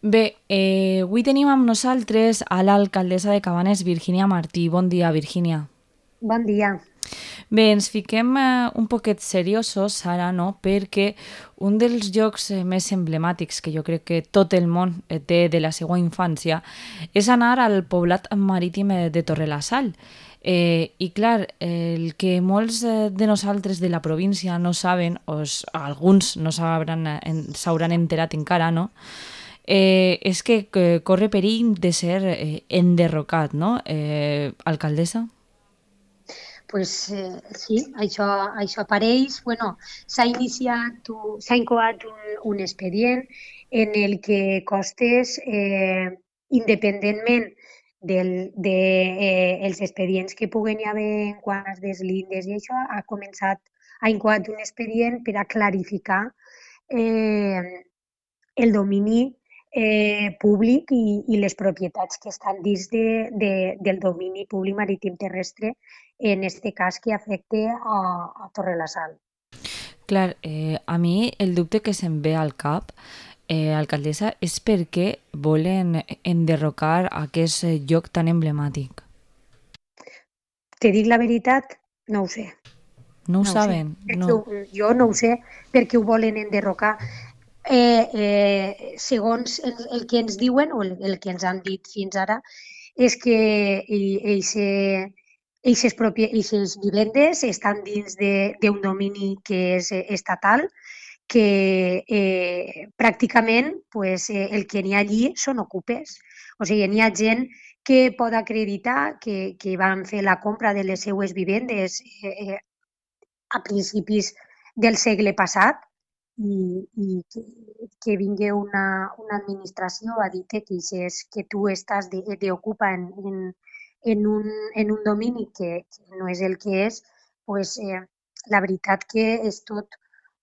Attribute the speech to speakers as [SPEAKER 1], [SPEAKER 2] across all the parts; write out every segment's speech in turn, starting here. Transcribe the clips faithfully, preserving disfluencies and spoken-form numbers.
[SPEAKER 1] Bé, eh, avui tenim amb nosaltres a l'alcaldessa de Cabanes, Virgínia Martí. Bon dia, Virgínia.
[SPEAKER 2] Bon dia.
[SPEAKER 1] Bé, ens fiquem eh, un poquet seriosos ara, no?, perquè un dels llocs eh, més emblemàtics que jo crec que tot el món eh, té de la seva infància és anar al poblat marítim eh, de Torrelasall. Eh, I clar, eh, el que molts eh, de nosaltres de la província no saben, o s- alguns no s'hauran eh, en- s'hauran enterat encara, no?, eh, és que, que corre perill de ser eh, enderrocat, no, eh, alcaldessa?
[SPEAKER 2] Pues, eh, sí, això, això apareix. Bueno, s'ha iniciat, u- s'ha incoat un, un expedient en el que Costes, eh, independentment del, de, eh, els expedients que puguen hi haver en quant a deslindes i això, ha començat, ha incoat un expedient per a clarificar eh, el domini eh, públic i, i les propietats que estan dins de, de, del domini públic marítim terrestre, en este cas que afecta a, a Torrelasal.
[SPEAKER 1] Clar, eh, a mi el dubte que se'm ve al cap, eh, alcaldessa, és per què volen enderrocar aquest eh, lloc tan emblemàtic.
[SPEAKER 2] Te dic la veritat, no ho sé,
[SPEAKER 1] No ho
[SPEAKER 2] no ho sé.
[SPEAKER 1] saben?
[SPEAKER 2] Perquè
[SPEAKER 1] No.
[SPEAKER 2] ho, jo no ho sé perquè ho volen enderrocar. Eh, eh, segons el, el que ens diuen o el, el que ens han dit fins ara, és que aquestes vivendes estan dins d'un domini que és eh, estatal, que eh, pràcticament pues, eh, el que n'hi ha allí són ocupes. O sigui, n'hi ha gent que pot acreditar que, que van fer la compra de les seues vivendes eh, eh, a principis del segle passat i, i que, que vingui una, una administració a dir que, és que tu estàs d'ocupa en, en, en, un, en un domini que, que no és el que és, pues, eh, la veritat que és tot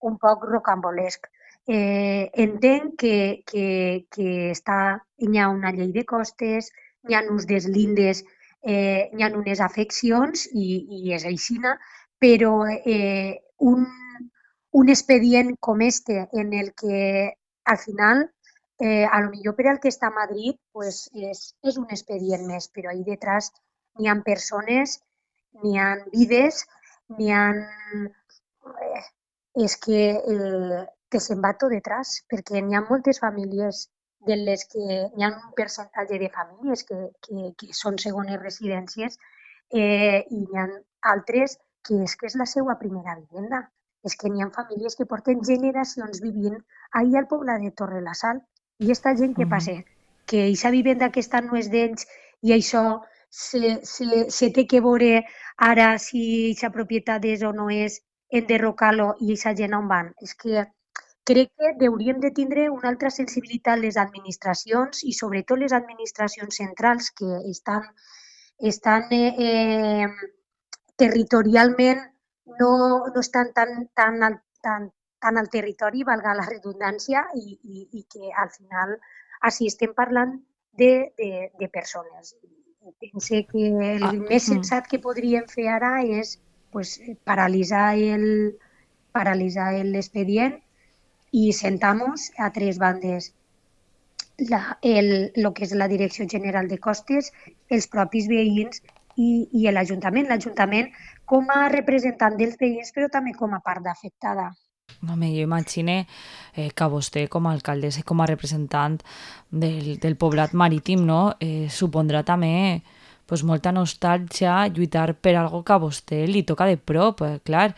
[SPEAKER 2] un poc rocambolesc. Eh, entenc que, que, que està, hi ha una llei de costes, hi ha uns deslindes, eh, hi ha unes afeccions i, i és aixina, però eh, un, un expedient com este en el que al final, eh, a lo millor per al que està a Madrid, pues és, és un expedient més, però ahí detrás n'hi ha persones, n'hi ha vides, n'hi ha... Eh, és que eh, te se'n va tot detrás, perquè n'hi ha moltes famílies de les que hi ha un percentatge de famílies que, que, que són segones residències eh, i n'hi ha altres que és que és la seva primera vivenda. És que n'hi ha famílies que porten generacions vivint ahir al poble de Torrelasal. I aquesta gent
[SPEAKER 1] Uh
[SPEAKER 2] que
[SPEAKER 1] -huh.
[SPEAKER 2] passa? Que aquesta vivenda aquesta no és d'ells i això se, se, se té que veure ara si aquesta propietat és o no és enderrocar-lo i aquesta gent on van. És que crec que hauríem de tindre una altra sensibilitat les administracions i sobretot les administracions centrals que estan, estan eh, eh, territorialment no, no estan tan, tan, al, tan, tan al territori, valga la redundància, i, i, i que al final així estem parlant de, de, de persones. I pense que el
[SPEAKER 1] Ah,
[SPEAKER 2] més
[SPEAKER 1] hmm.
[SPEAKER 2] sensat que podríem fer ara és pues, paralitzar el, paralitzar l'expedient i sentamos a tres bandes la, el, lo que és la Direcció General de Costes, els propis veïns i, i l'Ajuntament. L'Ajuntament com a representant dels veïns, però també com a part afectada.
[SPEAKER 1] Home, jo imagine eh, que vostè com a alcaldessa i com a representant del, del poblat marítim, no, eh, supondrà també pues, molta nostàlgia lluitar per algo que a vostè li toca de prop, eh, clar.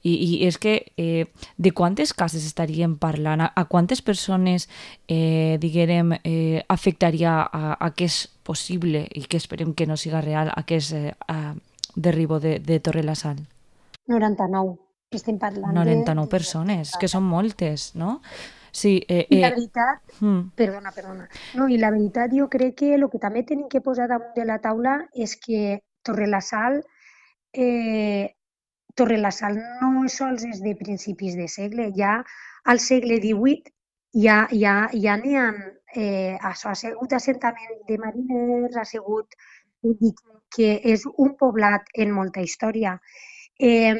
[SPEAKER 1] I, i és que eh, de quantes cases estaríem parlant? A, a quantes persones, eh, diguem, eh, afectaria a, a que és possible i que esperem que no siga real aquest eh, a, derribo de, de Torre la Sal?
[SPEAKER 2] noranta-nou. Estem parlant de,
[SPEAKER 1] noranta nou
[SPEAKER 2] de, de
[SPEAKER 1] persones, que són
[SPEAKER 2] noranta-nou.
[SPEAKER 1] moltes, no? Sí, eh,
[SPEAKER 2] I la
[SPEAKER 1] eh,
[SPEAKER 2] veritat,
[SPEAKER 1] hmm.
[SPEAKER 2] perdona, perdona, no, i la veritat jo crec que el que també tenim que posar damunt de la taula és que Torrelasal, eh, Torrelasal no sols és de principis de segle, ja al segle divuit ja, ja, ja n'hi ha, eh, això ha sigut assentament de mariners, ha sigut, vull dir, que és un poblat en molta història. Eh,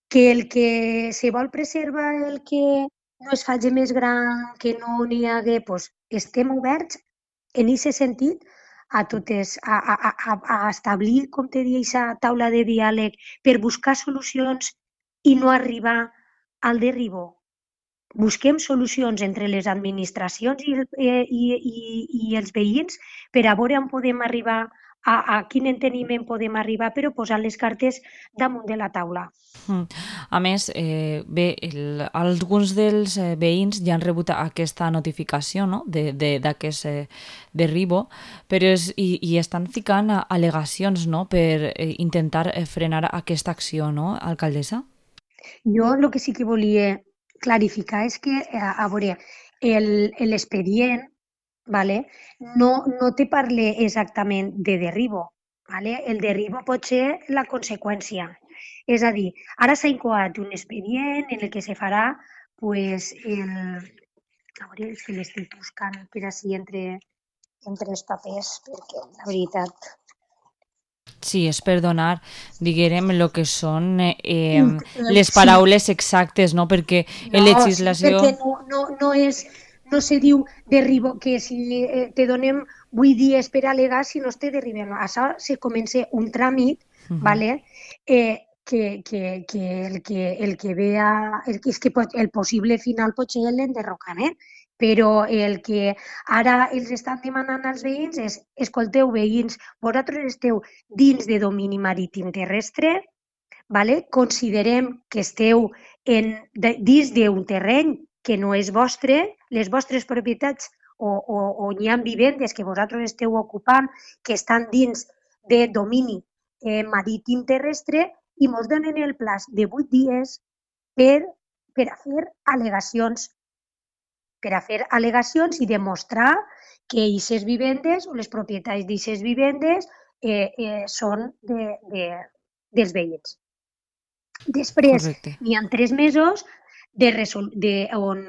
[SPEAKER 2] que el que se vol preservar el que no es faci més gran, que no n'hi hagué, doncs estem oberts en aquest sentit a totes, a, a, a, a establir, com te deia, aquesta taula de diàleg per buscar solucions i no arribar al derribó. Busquem solucions entre les administracions i, el, eh, i, i, i els veïns per a veure on podem arribar, a, a quin enteniment podem arribar, però posant les cartes damunt de la taula.
[SPEAKER 1] Mm. A més, eh, bé, el, alguns dels eh, veïns ja han rebut aquesta notificació, no?, d'aquest eh, derribo, però és, i, i estan ficant al·legacions, no?, per eh, intentar eh, frenar aquesta acció, no, alcaldessa?
[SPEAKER 2] Jo el que sí que volia clarificar és que, a, a veure, l'expedient, vale, no, no te parla exactament de derribo. Vale? El derribo pot ser la conseqüència. És a dir, ara s'ha incoat un expedient en el que se farà pues, el... A veure si l'estic buscant per així entre, entre els papers, perquè la veritat...
[SPEAKER 1] Sí, és per donar, diguem, el que són eh,
[SPEAKER 2] Int- eh,
[SPEAKER 1] les
[SPEAKER 2] sí,
[SPEAKER 1] paraules exactes, no? Perquè en
[SPEAKER 2] no, sí,
[SPEAKER 1] legislació...
[SPEAKER 2] perquè no, no, no és, no se diu derribo, que si eh, te donem vuit dies per al·legar, si no es té derribem. Això se comença un tràmit,
[SPEAKER 1] Uh -huh.
[SPEAKER 2] ¿vale? eh, que, que, que, el que el que vea, el, és que pot, el possible final pot ser l'enderrocament, però el que ara els estan demanant als veïns és, escolteu, veïns, vosaltres esteu dins de domini marítim terrestre, ¿vale? Considerem que esteu en, de, dins d'un terreny que no és vostre, les vostres propietats o, o, o hi ha vivendes que vosaltres esteu ocupant que estan dins de domini eh, marítim terrestre i ens donen el plaç de vuit dies per, per a fer al·legacions per a fer al·legacions i demostrar que aquestes vivendes o les propietats d'aquestes vivendes eh, eh, són de, de, dels veïns. Després
[SPEAKER 1] Correcte.
[SPEAKER 2] n'hi ha tres mesos de resol de, on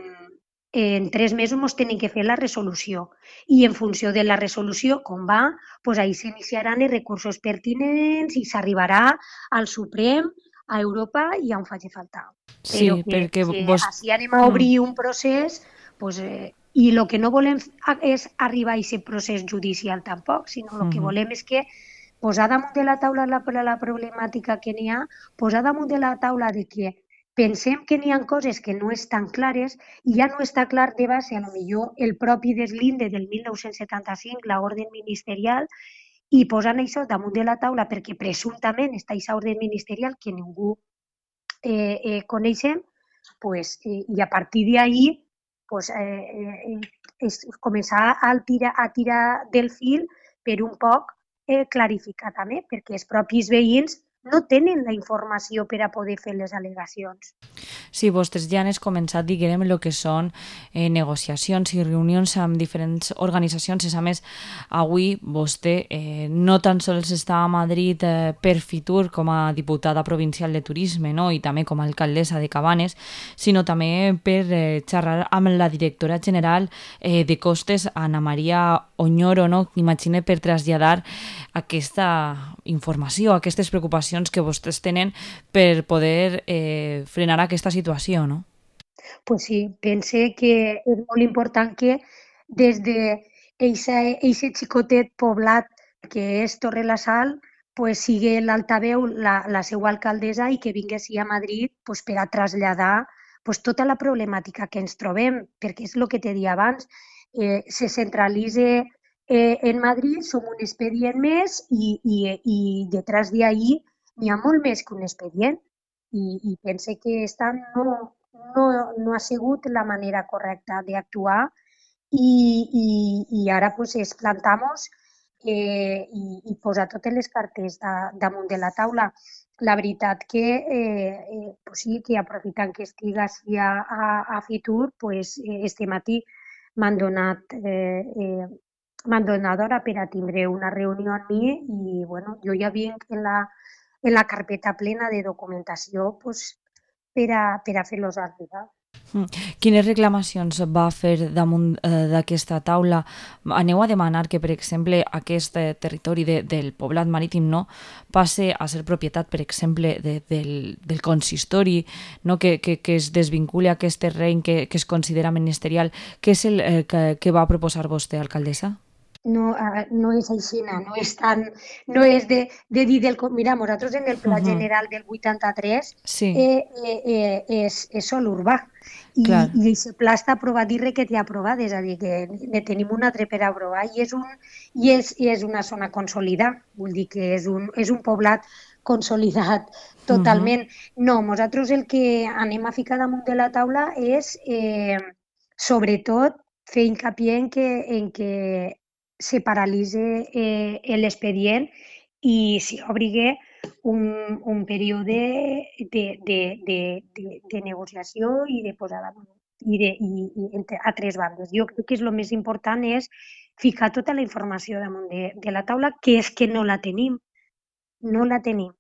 [SPEAKER 2] en tres mesos ens tenen que fer la resolució i en funció de la resolució, com va, doncs ahir s'iniciaran els recursos pertinents i s'arribarà al Suprem, a Europa i on faci falta. Però
[SPEAKER 1] Sí,
[SPEAKER 2] que,
[SPEAKER 1] perquè
[SPEAKER 2] que
[SPEAKER 1] vos...
[SPEAKER 2] així anem a obrir un procés doncs, eh, i el que no volem és arribar a aquest procés judicial tampoc, sinó el que
[SPEAKER 1] Mm.
[SPEAKER 2] volem és que posar damunt de la taula la, la problemàtica que n'hi ha, posar damunt de la taula de que pensem que n'hi ha coses que no estan clares i ja no està clar de base, a lo millor el propi deslinde del mil nou-cents setanta-cinc, la orden ministerial, i posant això damunt de la taula perquè presumptament està aquesta orden ministerial que ningú eh, eh, coneixem, pues, eh, i a partir d'ahir pues, eh, eh, és començar a tirar, a tirar del fil per un poc eh, clarificar també, perquè els propis veïns no tenen la informació per a poder fer les al·legacions.
[SPEAKER 1] Sí, vostès ja han començat, diguem, el que són eh, negociacions i reunions amb diferents organitzacions. A més, avui vostè eh, no tan sols està a Madrid eh, per Fitur com a diputada provincial de turisme, no?, i també com a alcaldessa de Cabanes, sinó també per eh, xerrar amb la directora general eh, de Costes, Ana Maria Oñoro, no?, imagine, per traslladar aquesta informació, aquestes preocupacions que vostès tenen per poder eh, frenar aquesta situació, no?
[SPEAKER 2] Pues sí, pense que és molt important que des de eixe xicotet poblat que és Torre la Sal, pues sigui l'altaveu la, la seva alcaldessa i que vingui així a Madrid pues, per a traslladar pues, tota la problemàtica que ens trobem, perquè és el que t'he dit abans, eh, se centralitza eh, en Madrid, som un expedient més i, i, i detrás d'ahir n'hi ha molt més que un expedient i, i pense que esta no, no, no ha sigut la manera correcta d'actuar i, i, i ara pues, es plantamos eh, i, i posar totes les cartes da, damunt de la taula. La veritat que, eh, eh, pues sí, que aprofitant que estic així a, a, a Fitur, pues, eh, este matí m'han donat, eh, eh, m'han donat hora per a tindre una reunió amb mi i bueno, jo ja vinc en la, en la carpeta plena de documentació pues, per a, per a fer-los arribar.
[SPEAKER 1] Mm. Quines reclamacions va fer damunt eh, d'aquesta taula? Aneu a demanar que, per exemple, aquest eh, territori de, del poblat marítim no passe a ser propietat, per exemple, de, del, del consistori, no? que, que, que es desvinculi aquest terreny que, que es considera ministerial. Què és el eh, que, que va proposar vostè, alcaldessa?
[SPEAKER 2] No, ah, no és així, no és tan, no és de, de dir del... Mira, nosaltres en el Pla
[SPEAKER 1] Uh-huh.
[SPEAKER 2] General del vuitanta-tres
[SPEAKER 1] Sí,
[SPEAKER 2] eh, eh, eh, és, és sol urbà i,
[SPEAKER 1] clar.
[SPEAKER 2] i aquest pla està aprovat i requeté aprovat, és a dir, que ne tenim un altre per aprovar i és, un, i és, i és una zona consolidada, vull dir que és un, és un poblat consolidat
[SPEAKER 1] Uh-huh.
[SPEAKER 2] totalment. No, nosaltres el que anem a ficar damunt de la taula és, eh, sobretot, fer hincapié en que, en que se paralitze eh, l'expedient i s'hi obri un, un període de, de, de, de, de negociació i de posada i, de, i, i entre, a tres bandes. Jo crec que és el més important és ficar tota la informació damunt de, de la taula, que és que no la tenim, no la tenim.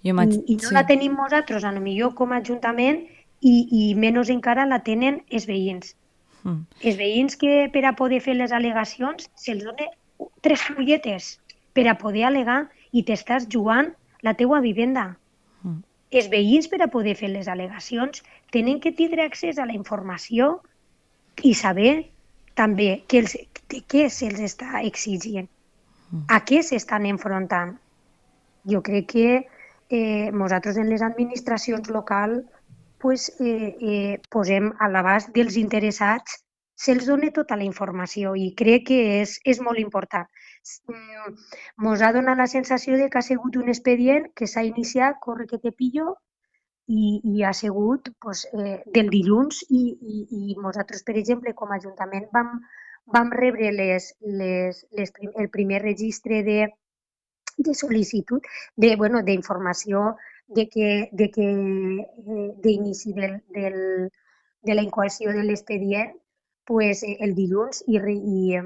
[SPEAKER 1] Jo
[SPEAKER 2] I,
[SPEAKER 1] m'haig...
[SPEAKER 2] i no la
[SPEAKER 1] Sí.
[SPEAKER 2] tenim nosaltres, a lo millor com a Ajuntament, i, i menys encara la tenen els veïns.
[SPEAKER 1] Mm.
[SPEAKER 2] Els veïns que per a poder fer les al·legacions se'ls dona tres fulletes per a poder al·legar i t'estàs jugant la teua vivenda.
[SPEAKER 1] Mm.
[SPEAKER 2] Els veïns per a poder fer les al·legacions tenen que tindre accés a la informació i saber també que els, de què se'ls està exigint, a què s'estan enfrontant. Jo crec que eh, nosaltres en les administracions locals pues, eh, eh, posem a l'abast dels interessats, se'ls dona tota la informació i crec que és, és molt important. Ens ha donat la sensació de que ha sigut un expedient que s'ha iniciat, corre que te pillo, i, i ha sigut pues, eh, del dilluns i, i, i nosaltres, per exemple, com a Ajuntament vam, vam rebre les, les, les, el primer registre de, de sol·licitud de, bueno, d'informació de que, de que eh, d'inici del, del, de la incoació de l'expedient pues, eh, el dilluns i, i eh,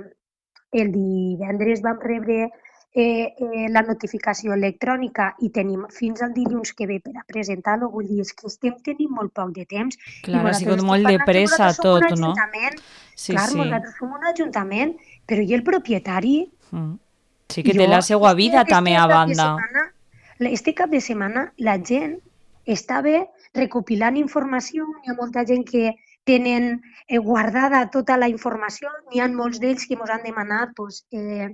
[SPEAKER 2] el divendres vam rebre eh, eh, la notificació electrònica i tenim fins al dilluns que ve per a presentar-lo. Vull dir, és que estem tenint molt poc de temps i
[SPEAKER 1] Clar, ha
[SPEAKER 2] nosaltres
[SPEAKER 1] sigut
[SPEAKER 2] estem
[SPEAKER 1] molt de
[SPEAKER 2] parlant que
[SPEAKER 1] pressa
[SPEAKER 2] nosaltres som un
[SPEAKER 1] tot, no?
[SPEAKER 2] ajuntament.
[SPEAKER 1] Sí,
[SPEAKER 2] Clar,
[SPEAKER 1] sí.
[SPEAKER 2] nosaltres som un ajuntament, però i el propietari?
[SPEAKER 1] Mm. Sí que té
[SPEAKER 2] Jo,
[SPEAKER 1] la seva
[SPEAKER 2] este,
[SPEAKER 1] vida també
[SPEAKER 2] este
[SPEAKER 1] a
[SPEAKER 2] cap de
[SPEAKER 1] banda.
[SPEAKER 2] setmana, este cap de setmana la gent estava recopilant informació, hi ha molta gent que tenen eh, guardada tota la informació, n'hi ha molts d'ells que ens han demanat pues, eh,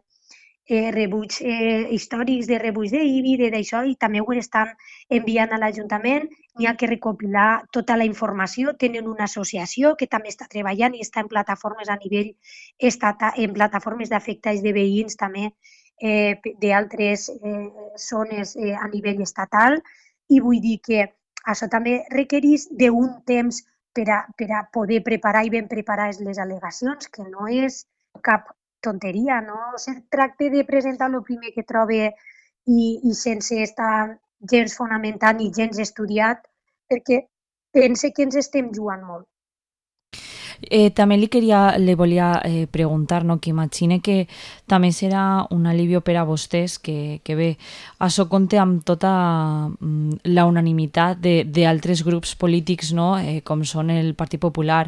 [SPEAKER 2] eh, rebuig eh, històrics de rebuig d'I B I, de d'això, i també ho estan enviant a l'Ajuntament. N'hi ha que recopilar tota la informació. Tenen una associació que també està treballant i està en plataformes a nivell estatal, en plataformes d'afectats de veïns també eh, d'altres eh, zones eh, a nivell estatal. I vull dir que això també requereix d'un temps per a, per a poder preparar i ben preparar les al·legacions, que no és cap tonteria, no se tracta de presentar el primer que trobe i, i sense estar gens fonamentat ni gens estudiat, perquè pense que ens estem jugant molt.
[SPEAKER 1] Eh, també li, queria, li volia eh, preguntar, no? Que imagine que també serà un alivio per a vostès, que, que bé, això compte amb tota mm, la unanimitat d'altres grups polítics, no? eh, com són el Partit Popular,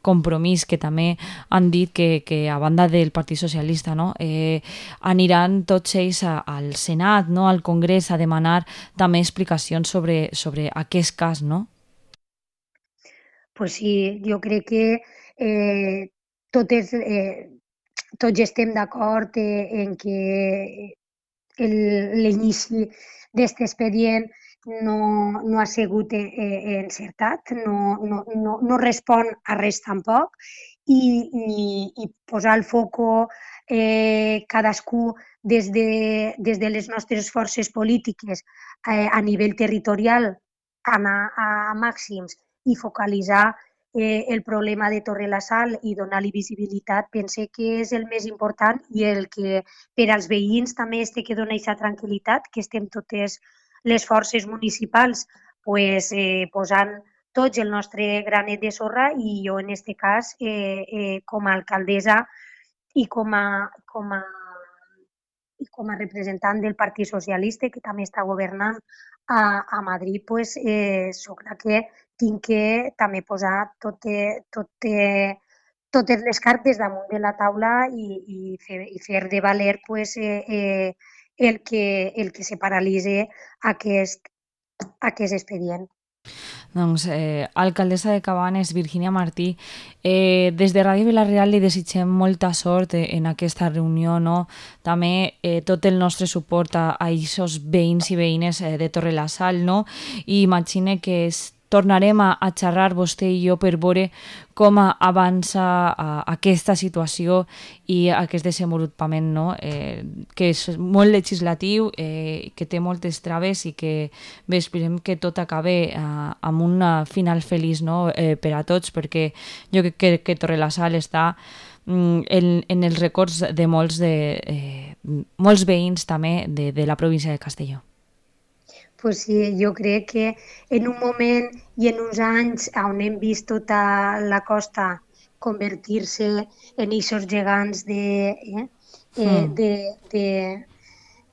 [SPEAKER 1] Compromís, que també han dit que, que a banda del Partit Socialista no? eh, aniran tots ells a, al Senat, no? Al Congrés, a demanar també explicacions sobre, sobre aquest cas, no?
[SPEAKER 2] Pues sí, jo crec que eh, totes, eh, tots estem d'acord eh, en que l'inici d'aquest expedient no, no ha sigut eh, encertat, no, no, no, no respon a res tampoc, i, i, i posar el foco eh, cadascú des de, des de les nostres forces polítiques eh, a nivell territorial, anar a màxims i focalitzar eh, el problema de Torre la Sal i donar-li visibilitat, pense que és el més important i el que per als veïns també es té que donar aquesta tranquil·litat, que estem totes les forces municipals pues, eh, posant tots el nostre granet de sorra i jo en aquest cas eh, eh, com a alcaldessa i com a, com a i com a representant del Partit Socialista, que també està governant a, a Madrid, pues, eh, soc la que tinc que també posar tot, tot, totes les cartes damunt de la taula i, i, fer, i fer de valer pues, eh, eh, el, que, el que se paralitzi aquest, aquest expedient.
[SPEAKER 1] Doncs, eh, alcaldessa de Cabanes, Virginia Martí, eh, des de Ràdio Vila-real li desitgem molta sort en aquesta reunió, no? També eh, tot el nostre suport a aquests veïns i veïnes eh, de Torre-la-Sal, no? I imagine que es, tornarem a, a xerrar vostè i jo per veure com avança a, aquesta situació i aquest desenvolupament, no? eh, que és molt legislatiu, eh, que té moltes traves i que bé, esperem que tot acabe eh, amb un final feliç, no? eh, per a tots, perquè jo crec que, que Torre-la-Sal està mm, en, en els records de molts, de, eh, molts veïns també de, de la província de Castelló.
[SPEAKER 2] Pues sí, jo crec que en un moment i en uns anys on hem vist tota la costa convertir-se en aquests gegants de, eh, eh,
[SPEAKER 1] Mm.
[SPEAKER 2] de, de,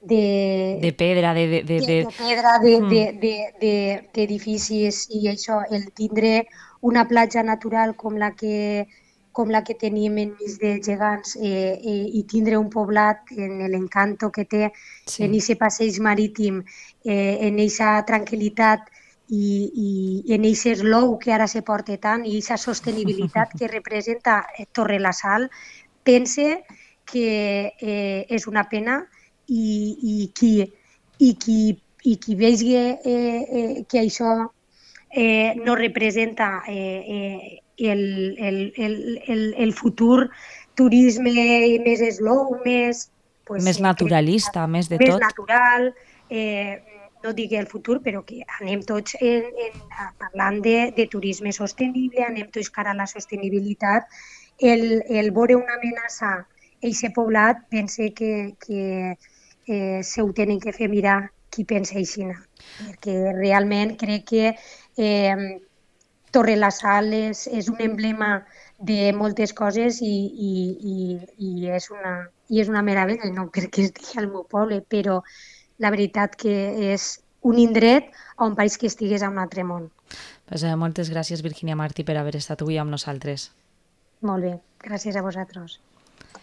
[SPEAKER 2] de,
[SPEAKER 1] De pedra, de... de, de,
[SPEAKER 2] de,
[SPEAKER 1] de...
[SPEAKER 2] de pedra, d'edificis
[SPEAKER 1] Mm.
[SPEAKER 2] de, de, de, d'edificis i això, el tindre una platja natural com la que com la que tenim enmig de gegants eh, eh, i tindre un poblat en l'encanto que té
[SPEAKER 1] Sí.
[SPEAKER 2] en aquest passeig marítim, eh, en aquesta tranquil·litat i, i en aquest slow que ara se porta tant i aquesta sostenibilitat que representa Torre-la-Sal, pense que eh, és una pena i, i qui i qui, i qui vegi eh, eh, que això eh, no representa eh, eh, el, el, el, el, el futur turisme més slow, més, pues,
[SPEAKER 1] Més
[SPEAKER 2] eh, crec que està
[SPEAKER 1] naturalista, més de
[SPEAKER 2] més
[SPEAKER 1] tot.
[SPEAKER 2] natural, eh, no digui el futur, però que anem tots en, en, parlant de, de turisme sostenible, anem tots cara a la sostenibilitat. El, el veure una amenaça a aquest poblat, pense que, que eh, se ho tenen que fer mirar qui pensa així, perquè realment crec que eh, Torre-la-Sal és, és un emblema de moltes coses i, i, i, i, és una, i és una meravella, no perquè estigui al meu poble, però la veritat que és un indret on pareix que estigués a un altre món.
[SPEAKER 1] Pues, eh, moltes gràcies, Virginia Martí, per haver estat avui amb nosaltres.
[SPEAKER 2] Molt bé, gràcies a vosaltres.